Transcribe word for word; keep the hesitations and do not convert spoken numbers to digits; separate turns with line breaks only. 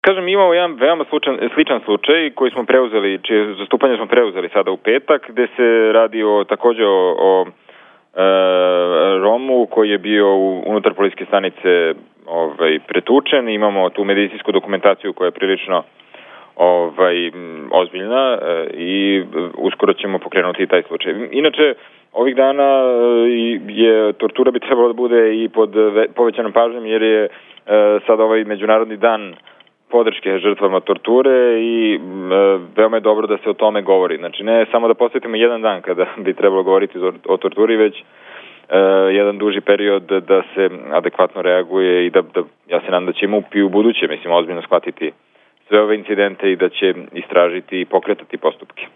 Kažem, imamo jedan veoma slučan, sličan slučaj koji smo preuzeli, čije zastupanje smo preuzeli sada u petak, gde se radi o, takođe o, o e, Romu koji je bio u, unutar policijske stanice ovaj, pretučen. Imamo tu medicinsku dokumentaciju koja je prilično ovaj, ozbiljna e, i uskoro ćemo pokrenuti taj slučaj. Inače, ovih dana je tortura bi trebalo da bude i pod povećanom pažnjom jer je e, sad ovaj međunarodni dan podrške žrtvama torture i e, veoma je dobro da se o tome govori. Znači ne samo da posvetimo jedan dan kada bi trebalo govoriti o, o torturi, već e, jedan duži period da se adekvatno reaguje i da, da ja se nadam da će M U P i u buduće, mislim, ozbiljno shvatiti sve ove incidente i da će istražiti i pokretati postupke.